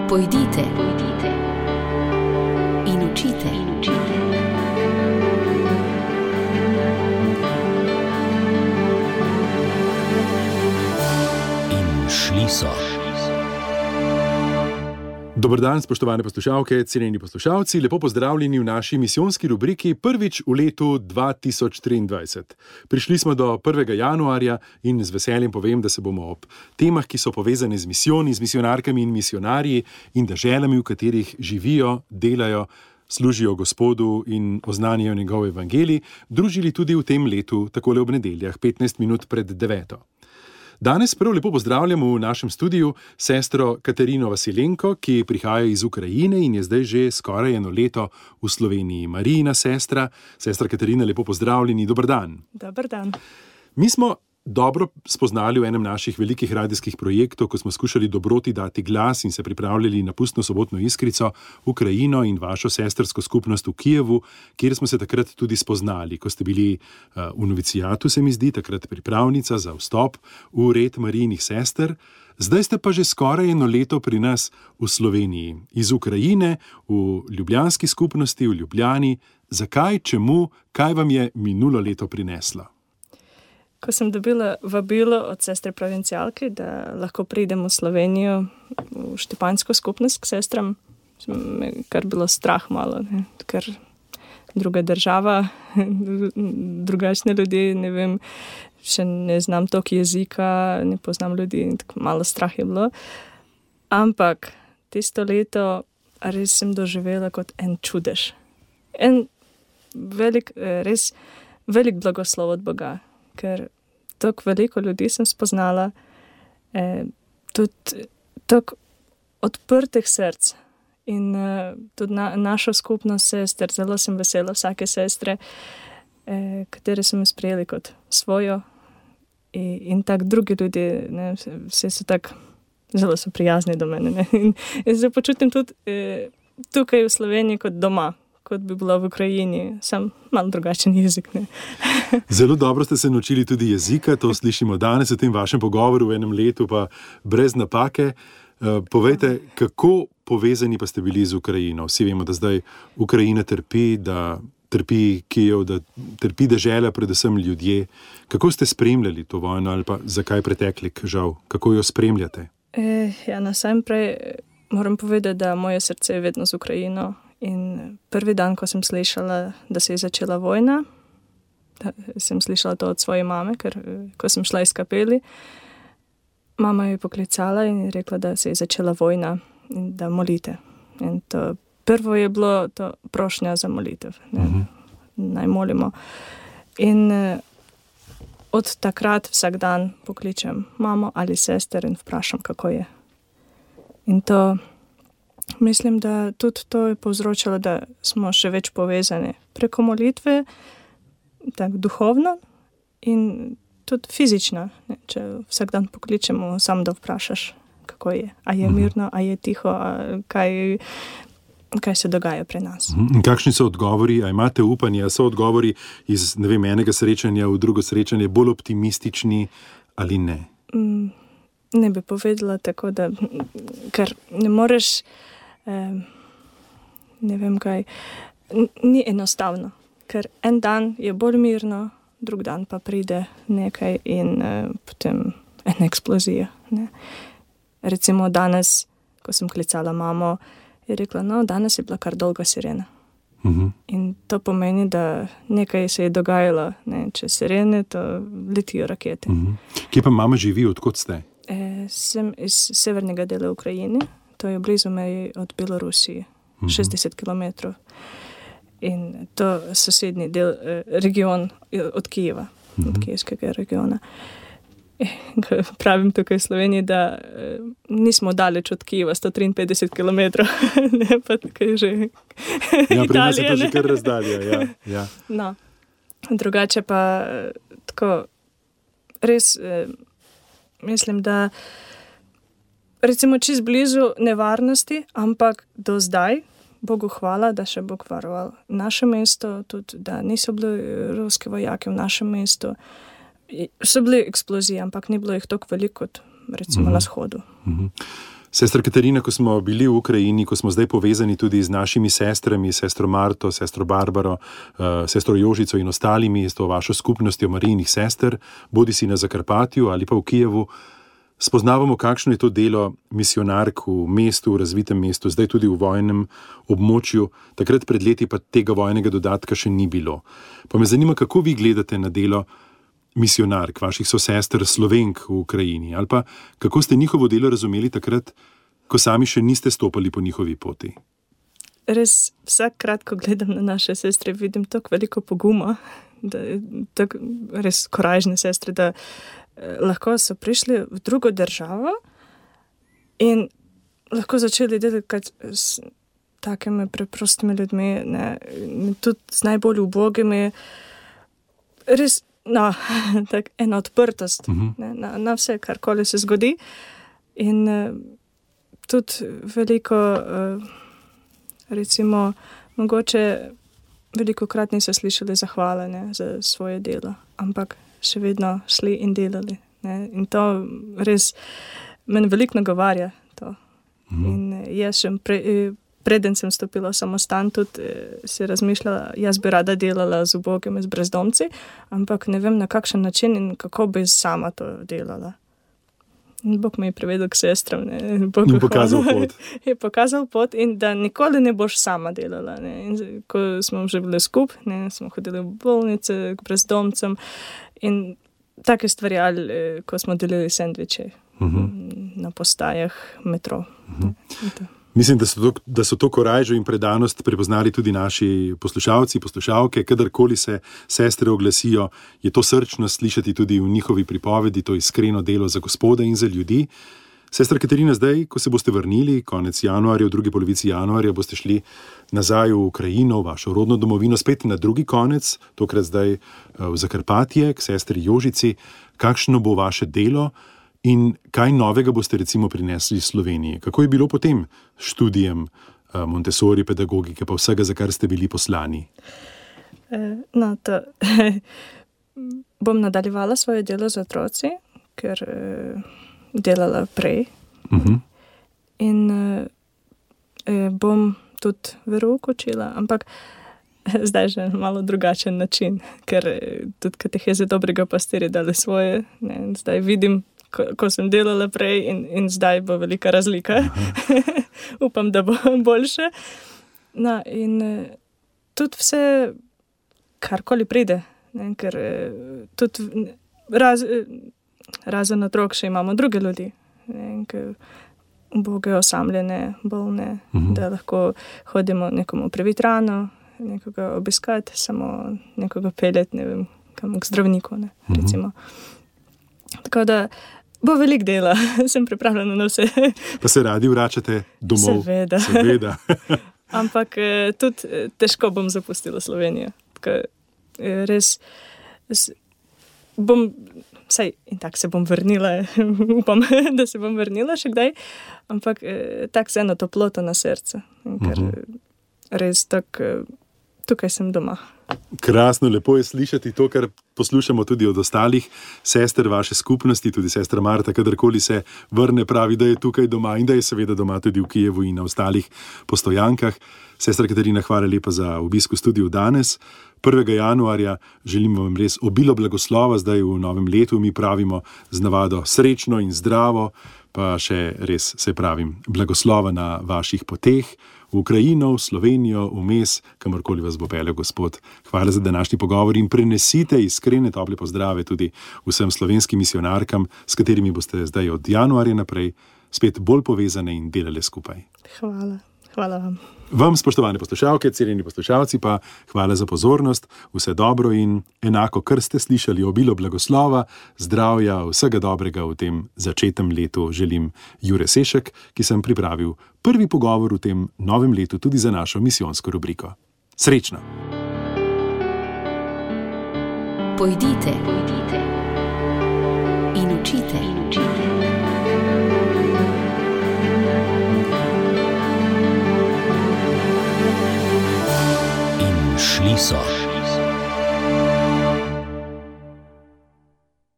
Pojdite in učite. In šli so. Dober dan, spoštovane poslušalke, cenjeni poslušalci, lepo pozdravljeni v naši misijonski rubriki prvič v letu 2023. Prišli smo do 1. januarja in z veseljem povem, da se bomo ob temah, ki so povezane z misijoni, z misionarkami in misionarji in deželami, v katerih živijo, delajo, služijo Gospodu in oznanjajo njegov evangelij, družili tudi v tem letu, takole ob nedeljah, 15 minut pred 9. Danes prav lepo pozdravljamo v našem studiu sestro Katarino Vasilenko, ki prihaja iz Ukrajine in je zdaj že skoraj 1 leto v Sloveniji. Marijina sestra. Sestra Katarina, lepo pozdravljeni, dober dan. Dober dan. Mi smo dobro spoznali v enem naših velikih radijskih projektov, ko smo skušali dobroti dati glas in se pripravljali na pustno sobotno iskrico Ukrajino in vašo sestrsko skupnost v Kijevu, kjer smo se takrat tudi spoznali, ko ste bili v novicijatu, se mi zdi, takrat pripravnica za vstop v red Marijinih sester. Zdaj ste pa že skoraj 1 leto pri nas v Sloveniji, iz Ukrajine, v ljubljanski skupnosti, v Ljubljani. Zakaj, čemu, kaj vam je minulo leto prineslo? Ko sem dobila vabilo od sestre provincialke, da lahko pridem v Slovenijo, v Štepanjsko skupnost k sestram, kar bilo strah malo, ne? Ker druga država, drugačne ljudi, ne vem, še ne znam toliko jezika, ne poznam ljudi, tako malo strah je bilo. Ampak tisto leto res sem doživela kot en čudež. En res velik blagoslov od Boga. Ker tako veliko ljudi sem spoznala, tudi tako odprtih src in tudi našo skupnost sester, zelo sem vesela vsake sestre, katere so me sprejeli kot svojo in tako drugi ljudje, ne, vsi so tako, zelo so prijazni do mene, ne, in se počutim tudi tukaj v Sloveniji kot doma, kot bi bila v Ukrajini, sam malo drugačen jezik. Ne? Zelo dobro ste se naučili tudi jezika, to slišimo danes v tem vašem pogovoru v 1 letu, pa brez napake. Povejte, kako povezani pa ste bili z Ukrajino? Vsi vemo, da zdaj Ukrajina trpi, da trpi Kijev, da trpi dežela, predvsem ljudje. Kako ste spremljali to vojno ali pa zakaj pretekli, žal? Kako jo spremljate? Najprej moram povedati, da moje srce je vedno z Ukrajino. In prvi dan, ko sem slišala, da se je začela vojna, sem slišala to od svoje mame, ker ko sem šla iz kapeli, mama je poklicala in je rekla, da se je začela vojna in da molite. In to prvo je bilo to prošnja za molitev. Naj molimo. In od takrat vsak dan pokličem mamo ali sester in vprašam, kako je. In to mislim, da tudi to je povzročilo, da smo še več povezani preko molitve, tako duhovno in tudi fizično. Ne? Če vsak dan pokličemo, samo da vprašaš, kako je. A je mirno, a je tiho, kaj se dogaja pri nas. In kakšni so odgovori, a imate upanje, a so odgovori iz, ne vem, enega srečanja v drugo srečanje bolj optimistični ali ne? Ne bi povedala tako, da ker ne moreš ne vem kaj, ni enostavno, ker en dan je bolj mirno, drug dan pa pride nekaj in potem ena eksplozija. Ne. Recimo danes, ko sem klicala mamo, je rekla, danes je bila kar dolga sirena. In to pomeni, da nekaj se je dogajalo, ne, če sirene, to letijo rakete. Kje pa mama živi, odkot ste? Sem iz severnega dela Ukrajine. To je blizu meji od Belorusije, 60 km. In to sosednji del, region od Kijeva, od kijevskega regiona. Pravim tukaj v Sloveniji, da nismo daleč od Kijeva, 153 km. Ne, pa tukaj že Italija. Pri nas je to že kar razdalja, ja. No, drugače pa tako, res mislim, da recimo čist blizu nevarnosti, ampak do zdaj, Bogu hvala, da še Bog varoval naše mesto, tudi da niso bili ruski vojaki v našem mestu. So bili eksplozije, ampak ni bilo jih toliko veliko kot recimo na shodu. Sestra Katarina, ko smo bili v Ukrajini, ko smo zdaj povezani tudi z našimi sestrami, sestro Marto, sestro Barbaro, sestro Jožico in ostalimi, s to vašo skupnostjo Marijinih sester, bodi si na Zakarpatju ali pa v Kijevu, spoznavamo, kakšno je to delo misionark v mestu, v razvitem mestu, zdaj tudi v vojnem območju. Takrat pred leti pa tega vojnega dodatka še ni bilo. Pa me zanima, kako vi gledate na delo misionark, vaših sosester Slovenk v Ukrajini, ali pa kako ste njihovo delo razumeli takrat, ko sami še niste stopali po njihovi poti? Res vsakrat, ko gledam na naše sestre, vidim tako veliko poguma, tako res korajžne sestre, da lahko so prišli v drugo državo in lahko začeli delati s takimi preprostimi ljudmi, tudi z najbolj ubogimi, res tak ena odprtost na vse, karkoli se zgodi. In tudi veliko, recimo, mogoče velikokrat niso slišali zahvale za svoje delo, ampak še vedno šli in delali. In to res meni veliko nagovarja to. In jaz še preden sem stopila v samostan, tudi si razmišljala, jaz bi rada delala z ubogimi, z brezdomci, ampak ne vem na kakšen način in kako bi sama to delala. In Bog me je privedel k sestram. In pokazal pot. Je pokazal pot in da nikoli ne boš sama delala. In ko smo že bili skupaj, smo hodili v bolnice, k brezdomcem in take stvari, ali ko smo delili sendviče na postajah metro. Mislim, da so to korajžo in predanost prepoznali tudi naši poslušalci, poslušalke. Kadarkoli se sestre oglasijo, je to srčno slišati tudi v njihovi pripovedi, to iskreno delo za Gospoda in za ljudi. Sestra Katarina, zdaj, ko se boste vrnili, konec januarja, v drugi polovici januarja, boste šli nazaj v Ukrajino, v vašo rodno domovino, spet na drugi konec, tokrat zdaj v Zakarpatje, k sestri Jožici. Kakšno bo vaše delo? In kaj novega boste recimo prinesli Sloveniji? Kako je bilo potem študijem Montessori pedagogike, pa vsega, za kar ste bili poslani? Bom nadaljevala svoje delo z otroci, ker delala prej. In bom tudi verouko učila, ampak zdaj že malo drugačen način, ker tudi kateheze dobrega pastirja dali svoje. Zdaj vidim, ko sem delala prej in zdaj bo velika razlika. Upam, da bo boljše. In tudi vse, karkoli pride, ker tudi razen otrok še imamo druge ljudi, uboge, osamljene, bolne, da lahko hodimo nekomu previti rano, nekoga obiskati, samo nekoga peljati, ne vem, kam k zdravniku, recimo. Tako da bo veliko dela, sem pripravljena na vse. Pa se radi vračate domov? Seveda. Ampak tudi težko bom zapustila Slovenijo. Res bom, saj in tako se bom vrnila, upam, da se bom vrnila še kdaj, ampak tako se eno toploto na srce, ker res tako tukaj sem doma. Krasno, lepo je slišati to, kar poslušamo tudi od ostalih sester vaše skupnosti, tudi sestra Marta, kadarkoli se vrne, pravi, da je tukaj doma in da je seveda doma tudi v Kijevu in na ostalih postojankah. Sestra Katarina, hvala lepa za obisk v studiu danes. 1. januarja želim vam res obilo blagoslova, zdaj v novem letu mi pravimo z navado srečno in zdravo, pa še res se pravim blagoslova na vaših poteh, v Ukrajino, v Slovenijo, vmes, kamorkoli vas bo peljal Gospod. Hvala za današnji pogovor in prenesite iskrene tople pozdrave tudi vsem slovenskim misionarkam, s katerimi boste zdaj od januarja naprej spet bolj povezane in delale skupaj. Hvala vam. Vam, spoštovane poslušalke, cenjeni poslušalci, pa hvala za pozornost, vse dobro in enako, kar ste slišali, obilo blagoslova, zdravja, vsega dobrega v tem začetnem letu želim Jure Sešek, ki sem pripravil prvi pogovor v tem novem letu tudi za našo misijonsko rubriko. Srečno! Pojdite in učite. Šli so.